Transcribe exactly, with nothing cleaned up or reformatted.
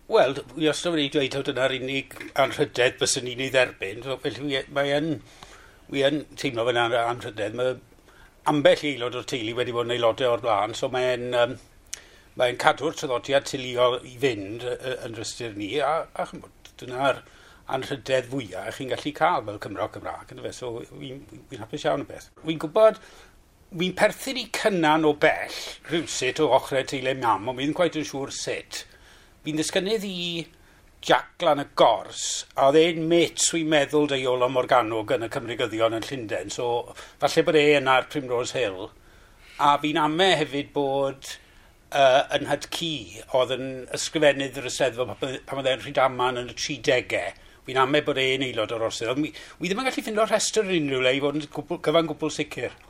Wel, wi wastad wedi dweud taw dyna'r unig anrhydedd byswn ni'n ei dderbyn, so felly mae yn, wi yn teimlo fel anrhydedd. Mae ambell aelod o'r teulu wedi bod yn aelodau o'r blaen, so mae'n um, mae'n cadw'r traddodiad teuluol i fynd yn rhestr ni, a, a chymod, dyna'r anrhydedd fwyaf chi'n gallu cael fel Cymro Cymraeg, yndyfe? So fi'n fi hapus iawn y beth. Fi'n gwybod, fi'n perthyn i Cynan o bell, rhywsut o ochrau teulu mam, ond fi ddim cweit yn siŵr sut. Fi'n ddisgynnydd i Jack Lan y Gors, a oedd e'n mêts wi'n meddwl 'da Iolo Morganwg yn y Cymreigyddion yn Llundain, so falle bod e yna ar Primrose Hill. A fi'n ame hefyd bod uh, yn nhad-cu, oedd yn ysgrifennydd yr Eisteddfod pan oedd e'n Rhydaman yn y tridegau. Fi'n ame bod e'n aelod o'r orsedd. Ond wi, wi ddim yn gallu ffindo rhestr yn unrhyw le i fod yn gwbl, gyfan gwbl sicr.